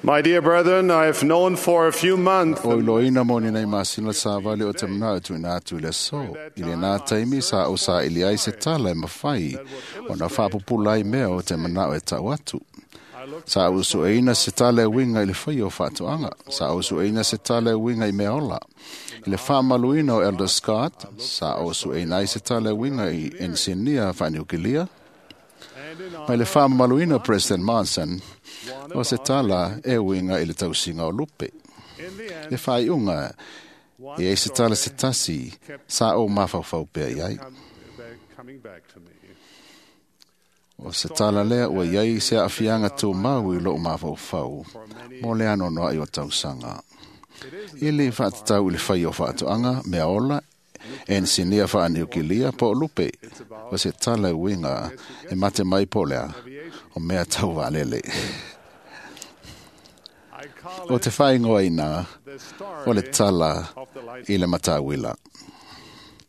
My dear brethren, I have known for a few months O iloina mo ni nei masina sa vale o te mana o tuina atu i le aso. I le nā taimi sa o sa ili ai se tala e mawhai o na whapupula ai mea o te mana o e tau atu. Sa o sueina se tala e winga i le whai o whaatuanga. Sa o sueina se tala e winga i mea ola. I le whaamaluina o Elder Scott, sa o sueina ai se tala e winga i ensinia whaaniukilia. Mai le whaamaluina o President Monson, o se tala e winga i le tausinga o lupe. Le whaiunga, e ei se tala se tasi, sa o mawhauwhau pea i ai. coming back to me. O se tala lea ua iai se aafiaga tumau i loo mafaufau mo le anoanoai o tausaga. E lē faatatau i le fai o faatoaga, mea ola, enisinia faaniukilia po o lupe, o se tala e uiga e mate mai po o lea, o mea tau vaalele. I call O it te faaigoaina the o le story tala of the light. i le matauila.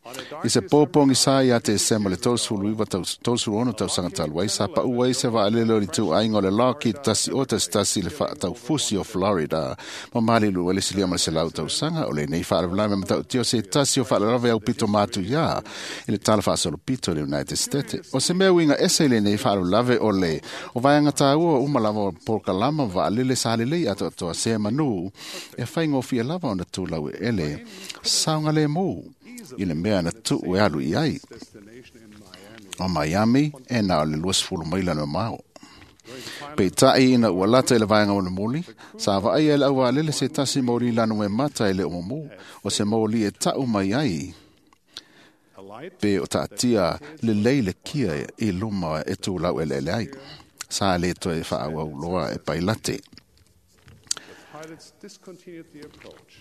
On a dark I se pōpōgi sa ia te sema le 39 tausaga talu ai sa paʻu ai se vaalele o le ituaiga o le Lockheed 111 le faataufusi o Florida ma malilu ai le silia ma le 100 tausaga o lenei faalavelave matautia o se tasi o faalavelave aupito matuiā i le tala faasolopito i le United States. O se mea uiga ese i lenei faalavelave o le o vaega tāua uma lava o polokalama ma vaalele sa lelei atoatoa se manu e faigofie lava ona tulau ele saogalēmū i le mea na tuu e alu i ai. destination in Miami. O Miami e na o le 20 maila no mao. Peitai ina ua lata i le vaega o le moli, sa vaai e le aualele se tasi moli lanu e mata i le omomu, o se moli e tau mai ai, A light pe o taatia le lei le kia i luma e tūlau ele ai. Sa le toe whaawau loa e pailate. the pilots discontinued the approach.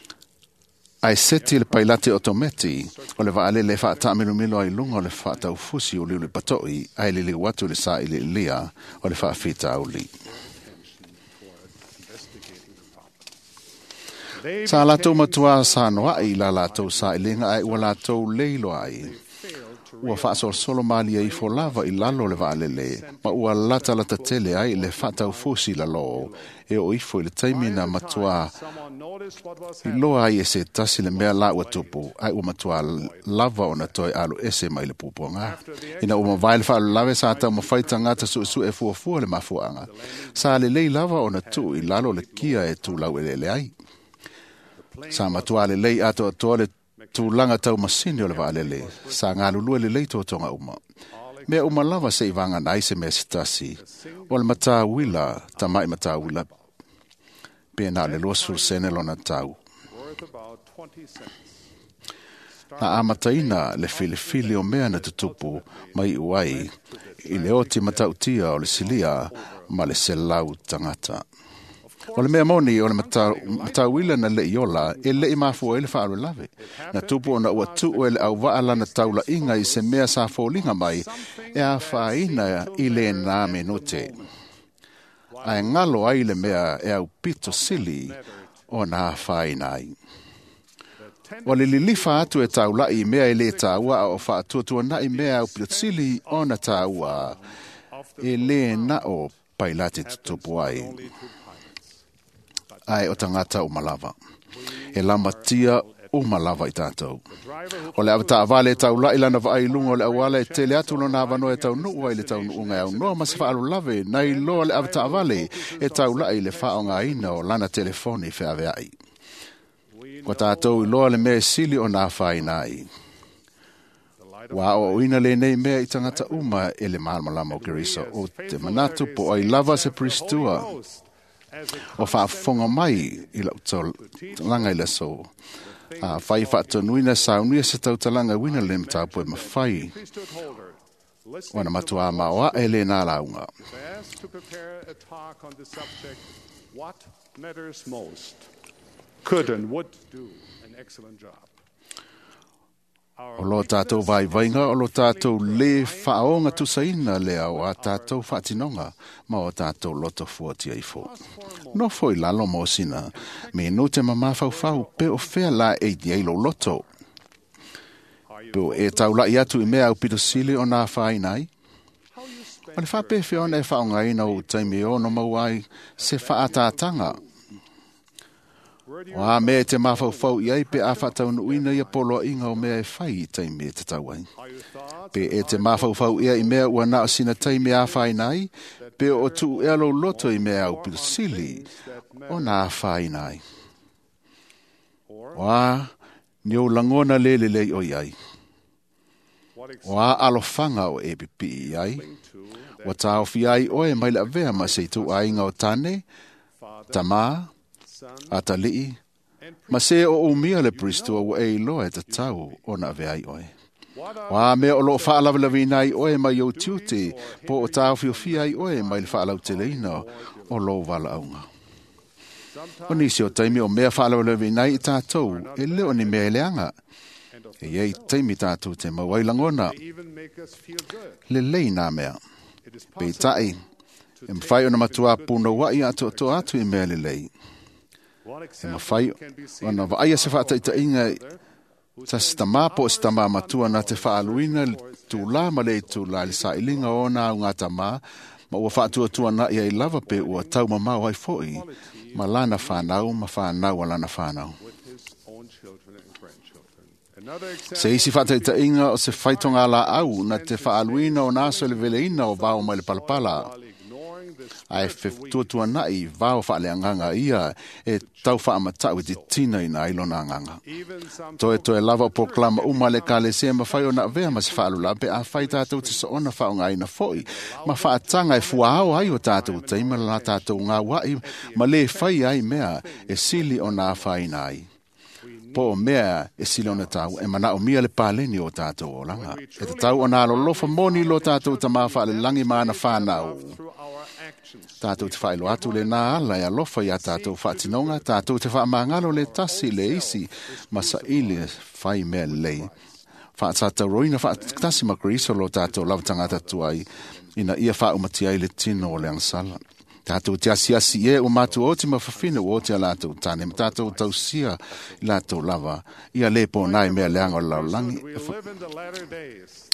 Ai seti le pailate o tometi, o le vaalele whaatamilomilo ai lunga o le whaataufusi o liuli patoi, ai lili watu le sa i le ilia o le whaafita au li. Attention toward investigating the problem. They Sa latou became matua sa noai la latou sa ilinga ai ua latou leilo ai. failed to Ua faasolosolo malie ifo lava i lalo le vaalele, ma ua latalata tele ai le faataufusi lalō, e o ifo i le taimi na matua Someone noticed what was i loa ai e se tasi le mea la ua tupu, ai ua matua lava ona toe alu ese mai le pupuaga. Ina ua mavae le faalalave sa taumafai tagata suesue e fuafua le mafuaaga. Sa lelei lava ona tuu i lalo le kia e tulau eleele ai. Sa matua lelei atoatoa le tulaga taumasini o le vaalele, sa galulue lelei totoga uma. Mea uma lava se i vagana ai se mea se tasi, o le matauila, tama'i matauila, pe na o le 20 sene lona tau. worth about 20 cents. Na amataina le filifili o mea na tutupu mai iu ai i le oti matautia o le silia ma le 100 tagata. O le mea moni o le matauila na le iola e le i mafua ai le faalavelave. Na tupu ona ua tuu e le auvaa lana taulaiga i se mea sa foliga mai e afaina i lena minute. Ae galo ai le mea e aupito sili ona afaina ai. O le lilifa atu e taulai i mea e lē tāua a o faatuatuanaʻi mea aupitosili ona tāua e lē na o pailate tutupu ai Only two pilots. ae o tagata uma lava. E lamatia uma lava i tatou. Driver who O le avataavale e taulai lana vaai i luga o le auala e tele atu lona avanoa e taunuu ai le taunuuga e aunoa ma se faalolave nai loa le avataavale e taulai i le faaaogaina o lana telefoni feaveai. we Ua tatou iloa le mea e sili ona afaina ai. the light Ua aoaoina lenei mea i tagata uma e le malamalama o Keriso o te manatu po ai lava se Pristua Ghost as a o faafofoga mai i lau tautalaga i le aso. A fai faatonuina saunia se tautalaga uina le mataupu e mafai priesthood holder, listening ona matuā maoae lena lauga. is asked to prepare a talk on the subject, What Matters Most, could and would do an excellent job. O lo tātou vaivaiga, o lo tātou le whaonga tusaina lea o a tātou whaatinoga, ma o tātou loto fuatia ifo. No foi lalo mo sina, me no te mamawhauwhau pe o whea la e i ai lo loto. Are you Pe o e taulai atu i mea au pito sili o nā whainai, how you spend O le faapefea ona e faaaogaina ou taimi e ono maua ai se faaataataga. O a mea e te mafaufau i ai pe a faataunuuina ia poloaiga o mea e fai i taimi e tatau ai. Pe e te mafaufau ea i mea ua na o sina taimi e afaina ai, pe o tuu ea lou loto i mea aupito sili ona afaina ai. O a ni ou lagona le lelei o i ai. O a alofaga o e pipii i ai, ua taofi ai oe mai le avea ma se ituaiga o tane, tamā, atalii, ma se o umia le puristua ua e iloa e tatau ona avea ai oe. O a mea o loo faalavelavina ai oe mai ou tiute, po o taofiofia ai oe mai le faalauteleina o lou valaauga. O nisi o taimi o mea faalavelavina ai i tātou, e le o ni mea e leaga. E iai taimi tātou te mau ai lagona, lelei nā mea. Peitai, e mawhai ona matua punouai a toatoa atu i mea lelei. E mawhai ona vaaia se whaataitainga sa se tamā po o se tamā matua na te whaaluina le tūlā ma le tūlā le sailiga o nā au ngā tamā, ma ua whaatuatua na ia i lava pe ua taumamao ai foi ma lana whānau ma whānau a lana whānau. Se isi whaataitainga o se whaitonga la au na te whaaluina o nā aso le veleina o vao mai le palapala. Ae fetuatua nai vao whaaleanganga ia e tau whaamatau e te tina ina ai lona anganga. Toe toe lava o poklama uma le kalesia ma whai o na vea ma se whaalula pe a whai tātou te soona whaonga ina foi. Ma whaatanga e fuaao ai o tātou teima la tātou ngā wai ma le whai ai mea e sili o nā whaina ai. Po o mea e sili ona tau e mana o mia le paleni o tātou olanga. E te tau o nā lolofa moni lo tātou tamā whaalelangi maana whānau. Tātou te whailo atu le nā ala e alofa i a tātou whaatinonga, tātou te whaamangalo le tasi le isi, masa ili whai mea lei. Whaatataroina whaatasi ma Kriso lo tātou lava tangata tuai, ina ia whaumati ai le tino o le angsala. Tātou te asiasi e o mātou oti ma whawhina o oti a lātou tāne, ma tātou tausia i lātou lava, ia le pō nai mea leanga o laulangi.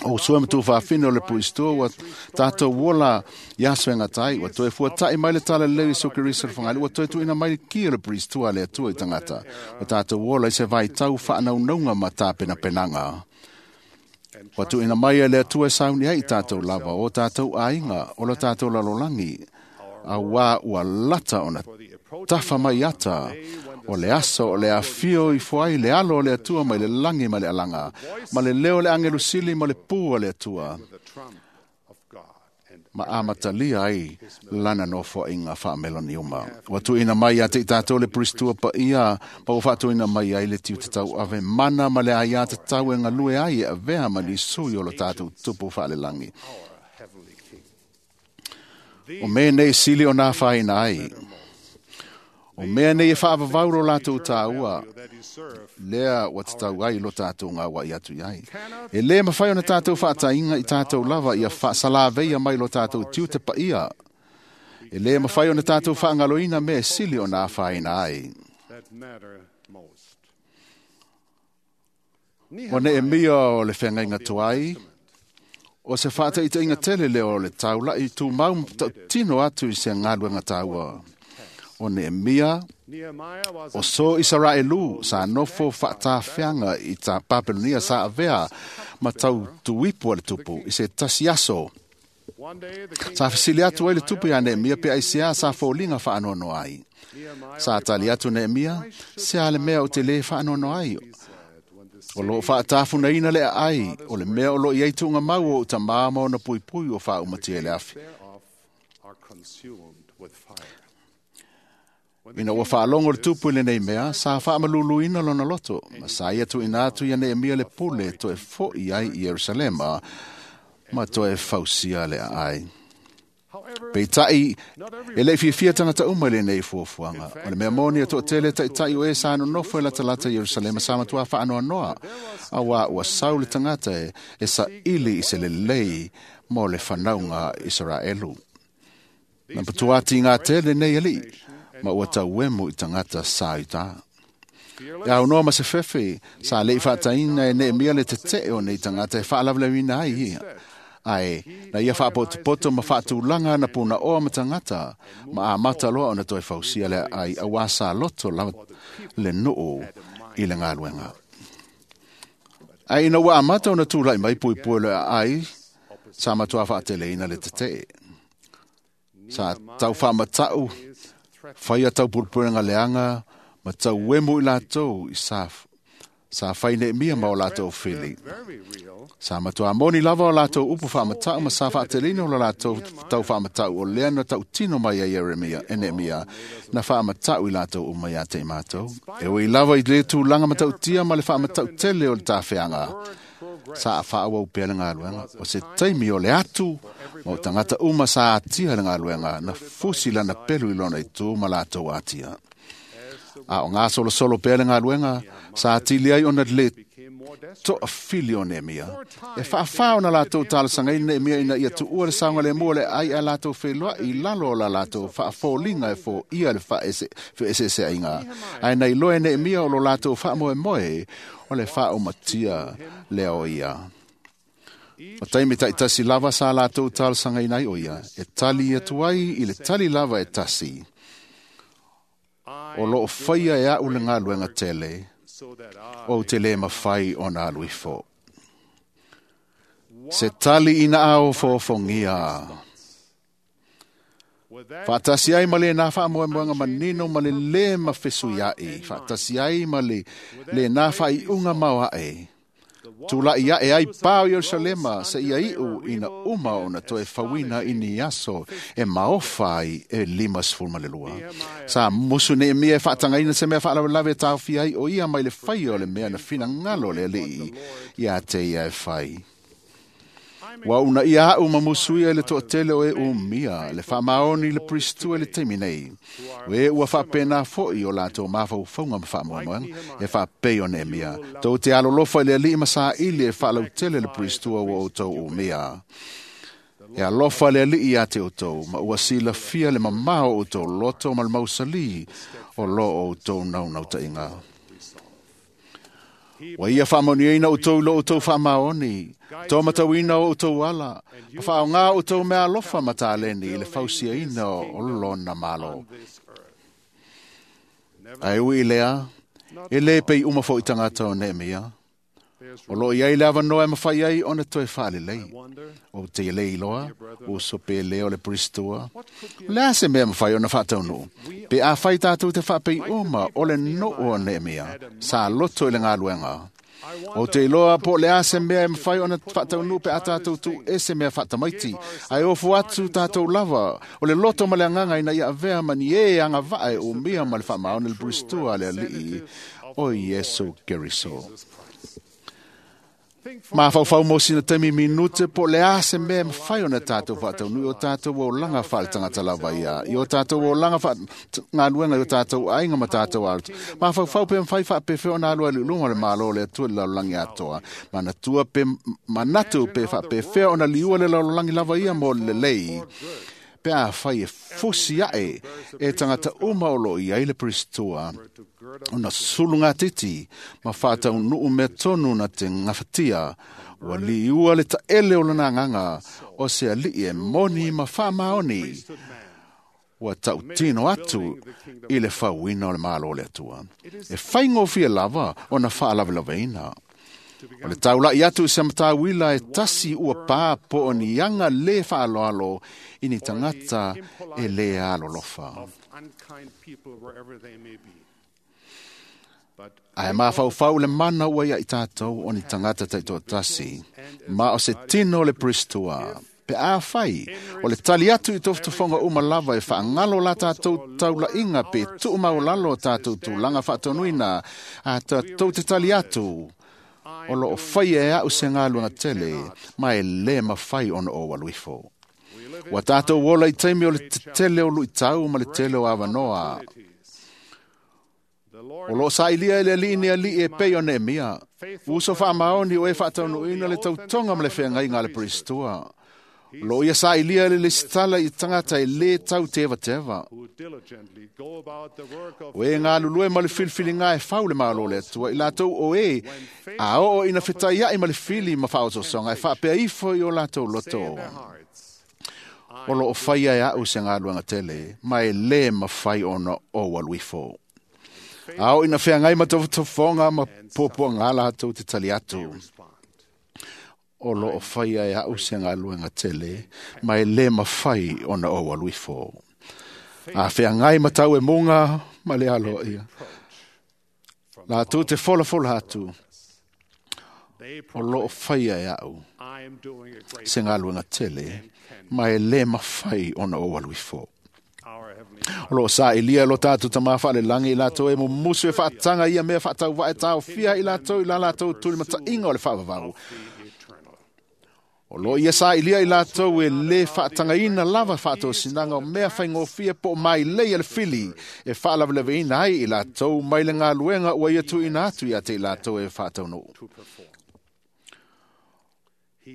O sua matu whawhina o le puistua, ua tātou wola i aso e ngatai, ua toe fuatai mai le tala leu i soke risa le whangali, ua toe tuina mai le ki o le puistua le atua i tangata. Ua tātou wola i se vai tau whaanaunauga ma tāpenapenanga. Ua tuina mai e le atua e sauni ai i tātou lava, o tātou ainga, o la tātou lalolangi, a wā ua lata ona tafa mai ata o le aso o le afio i fuai le alo o le atua mai le langi ma le alanga ma le leo le angelu sili ma le pū o le atua ma amatalia ai lana nofo i ngā whaamelani uma. Ua tuina mai a te i tātou le puristua pa ia, pa ua whaatuina mai ai le tiu te tau ave mana ma le ai a te tau e ngalue ai e avea ma ni sui o lo tātou tupu whaalelangi. O mea nei sili o nā whaina ai. O mea nei e whaavavau ro lātou tāua, lea ua te tau ai lo tātou ngā wai atu i ai. E le mawhai ona tātou whaatainga i tātou lava ia whaasalaveia mai lo tātou tiu te paia. E le mawhai ona tātou whaangaloina mea sili o nā whaina ai. O ne e mia o le whengainga tuai, o se whaataitainga tele leo o le taula i tū mau tino atu i se ngaluenga tāua. O Nehemia, o so Israelu sa nofo whaatawhianga i tā Papelonia sa avea ma tau tuipu a le tupu i se tasi aso. Sa whasili atu ai le tupu ia Nehemia pe aisea sa fōlinga whaanono ai. Sa tali atu Nehemia, se a le mea o te le whaanono ai. O lo whaatafunaina le ai, o le mea o lo iei tuunga mau o tamā maona pui pui o whaumati e le awhi. Ina ua whaalongo le tupu i le nei mea, sa whaamaluluina lona loto, ma sa ia tu ina atu ia Nehemia le pule toe foi ai i Yerusalema, ma toe fausia le ai. Peitai, e le fiafia tangata uma le nei fuafuaga. O le mea moni e toatele taitai o e sa nonofo e latalata i Yerusalema sa matua whaanoanoa. A wā ua sau le tangata e sa ili i se lelei mo le whanaunga Israelu. Na patuati ngā tele nei ali, ma ua tauemu i tangata sa i tā. E au noa ma se fefe, sa lei whaataina e Nehemia le te te o nei tangata e whaalavlewina ai ia. Ae na ia faapotopoto ma faatulaga na punaoa ma tagata ma amata loa ona toe fausia le aai auā sa loto lava le nuu i le galuega. Ae ina ua amata ona tulaʻi mai puipui o le aai, sa matuā faateleina le tetee. Sa tau faamataʻu faia taupulepulega leaga ma tauemu i latou i sa fai Neemia ma o latou fili. Sa matuā moni lava o latou upu faamataʻu ma sa faateleina o lo latou tau faamataʻu o lea na tautino mai ai Ieremia e Neemia na faamataʻu i latou uma iā te i matou. E ui lava i le tulaga matautia ma le faamataʻu tele o le tafeaga, sa faaauau pea le galuega. O se taimi o le atu ma o tagata uma sa atia le galuega na fusi lana pelu i lona itu ma latou atia. A o gasolosolo pea le galuega, sa atili ai ona le toafili o Neemia. E faafā ona latou talosagaina Neemia ina ia tuua le saogalemu o le aai ae latou feiloai i lalo o la latou faafoliga e foia le feeseeseaiga. Ae na iloa e Neemia o lo latou faamoemoe o le faaumatia lea o ia. O taimi taitasi lava sa latou talosagaina ai o ia, e tali atu ai i le tali lava e tasi. O loo faia e aʻu le galuega tele, ou te lē mafai ona alu ifo. Se tali ina aofoofogia. Faatasi ai ma lenā faamoemoega manino ma le lē mafesuiaʻi, faatasi ai ma le lenā faaiuga maoaʻe. Tulaʻi aʻe ai pa o Ierusalema seia iʻu ina uma ona toe fauina i ni aso e maofa ai e 52. Sa musu Neemia e faatagaina se mea faalavelave e taofia ai o ia mai le faia o le mea na finagalo le Alii iā te ia e fai. Ua uunaia aʻu ma musuia i le toatele o e umia le faamaoni i le Peristua i le taimi nei. O e ua faapena foʻi o latou mafaufauga ma faamoemoega e faapei o Neemia. Tou te alolofa i le Alii ma saili e faalautele le Peristua ua outou umia. E alofa le Alii iā te outou, ma ua silafia le mamao o outou loto ma le mausalī o loo outou naunautaiga. Ua ia faamanuiaina outou i lo outou faamaoni, tomatauina o outou ala, ma faaaogā outou mea alofa ma taleni i le fausiaina o lona Malo. Ae ui i lea, e lē pei uma foʻi tagata o Neemia. O loo iai le avanoa e mafai ai ona toe faalelei. Ou te lē iloa, uso pē lē o le Peristua. O le a se mea mafai ona faataunuu? Pe afai tatou te faapei uma o le nuu o Neemia, sa loto i le galuega. Ou te iloa po o le a se mea e mafai ona faataunuu pe a tatou tuuese mea faatamaiti, ae ofo atu tatou lava o le loto ma le agaga ina ia avea ma ni ē agavaa e umia ma le faamaoni le Peristua a le Alii o Iesu Keriso. Mafaufau mo sina taimi minute po o le a se mea e mafai ona tatou faataunuu i o tatou olaga faaletagata lava ia, i o tatou olaga faagaluega i o tatou aiga ma tatou aloto. Mafaufau pe mafai faapefea ona alu ai i luma o le Malo o le Atua i le lalolagi atoa. Manatua pe manatu pe faapefea ona liua le lalolagi lava ia mo le lelei. Pe afai e fusi aʻe e tagata uma o loo i ai le Peristua, ona sulugatiti ma faataunuu mea tonu na te gafatia, ua liua le taele o lona agaga o se alii e moni ma faamaoni, ua tautino atu i le fauina o le Malo o le Atua. E faigofie lava ona faalavelaveina. O le taulaʻi atu i se matauila e tasi ua pā po o ni aga lē faaloalo i ni tagata e lē alolofa. Ae mafaufau le mana ua ia i tatou o ni tagata taitoatasi, ma o se tino o le Peristua. Pe afai, o le tali atu i tofotofoga uma lava e faagalo la tatou taulaʻiga pe tuumaulalo o tatou tulaga faatonuina, a tatou te tali atu, o loo faia e aʻu se galuega tele, ma e lē mafai ona ou alu ifo. Ua tatou ola i taimi o le tetele o luʻitau ma le tele o avanoa. O loo sailia e le Alii ni alii e pei o Neemia. Uso faamaoni o e faataunuuina le tautoga ma le feagaiga a le Peristua. Lo ia sa ilia le lesitala i tangata e le tau teva teva. O e ngā lulue ma le filifiliga e fau le malo le atua i latou o e a oo ina fetaia'i ma le fili ma faaosoosoga e faapea ifo i o latou loto. O loo faia e a'u se galuega tele ma e lē mafai ona ou alu ifo. A oo ina feagai ma tofotofoga ma puapuagā latou te tali atu. O loo faia e a'u se galuega tele ma e lē mafai ona ou alu ifo. A feagai ma tau e muga ma le aloaia latou te folafola atu. O loo faia e a'u se galuega tele ma e lē mafai ona ou alu ifo. O loo saʻilia lo tatou tamā faalelagi i latou e mumusu e faataga ia mea faatauvae taofia i latou i la latou tulimataʻiga o le faavavau. O loo ia saʻilia i latou e lē faatagaina lava faatosinaga o mea faigofie po o mailei a le fili e faalavelaveina ai i latou mai le galuega ua ia tuuina atu ia te i latou e faataunuu.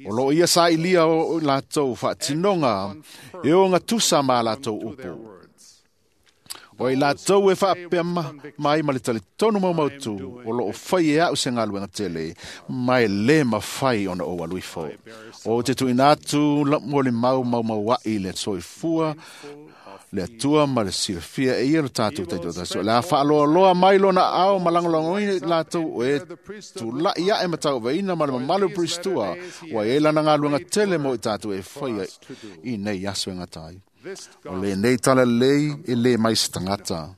O loo ia saʻilia o latou faatinoga e ogatusa ma latou upu. O i latou e faapea mai ma le talitonu maumautu, o loo fai e a'u se galuega tele, ma e lē mafai ona ou alu ifo. O te tuuina atu mo le mau maumauaʻi le soifua le Atua ma le silafia e ia lo tatou taitoatasi. O le a faaloaloa mai lona ao ma lagolagoina i latou o e tulaʻi aʻe ma tauavaina ma le mamalu o Peristua, ua i ai lana galuega tele mo i tatou e faia i nei aso e gata ai. O lenei talalelei e lē mai se tagata.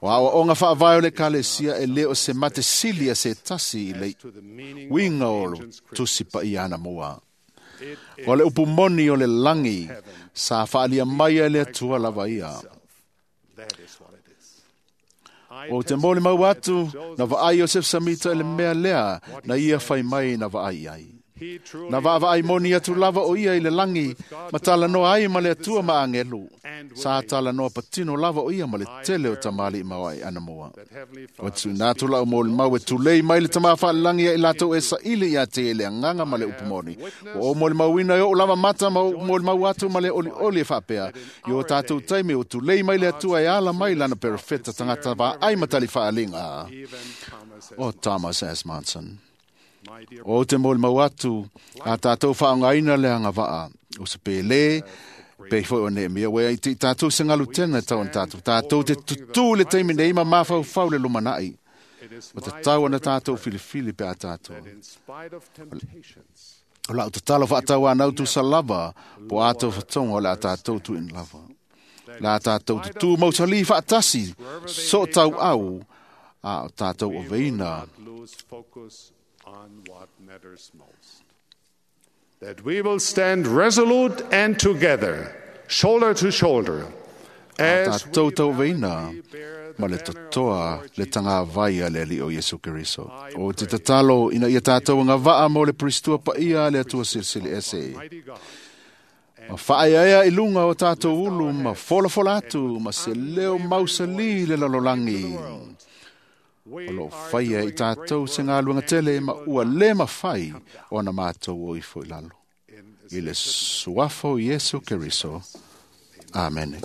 O aoaoga faavae o le Ekalesia e lē o se mate sili a se tasi i le uiga o lo tusi paia anamua. O le upu moni o le lagi sa faalia mai ai le Atua lava ia. O te molimau atu na vaai Iosef Samita i le mea lea na ia fai mai na vaai ai. Na vaavaai moni atu lava o ia i le lagi ma talanoa ai ma le Atua ma agelu. Sa talanoa patino lava o ia ma le tele o tamalii ma ai anamua. O tuuina atu lau molimau e tulei mai le tamā faalelagi ia i latou e saili ia te le agaga ma le upu moni. Ua ou molimauina e ou lava mata ma ou molimau atu ma le olioli e faapea. I o tatou taimi o tulei mai le Atua e ala mai lana perofeta tagata vaai ma tali faaliga. O Thomas S. Monson. O te molimau atu a tatou faaaogaina le agavaa o se pēlē pei foi o Neemia ua i tatou se galu tena e tau ona tatou. Tatou te tutū le taimi nei ma mafaufau le lumanaʻi. O tatau ona tatou filifili pe a tatou. O lau tatalo faatauanau tusa lava po atou fatoga o le a tatou tuuina lava. Le a tatou tutū mausalī faatasi so tauau a o tatou oveina. On what matters most. That we will stand resolute and together, shoulder to shoulder, as tatou tauveina ma le totoa le tagavai a le Alii o Iesu Keriso. O te tatalo ina ia tatou agavaa mo le Peristua paia a le Atua Silisili Ese. Ma faaeaea i luga o tatou ulu ma folafola atu ma se leo mausalī le lalolagi. O loo faia i tatou se galuega tele ma ua lē mafai ona matou o ifo i lalo. I le suafa o Iesu Keriso. Amene.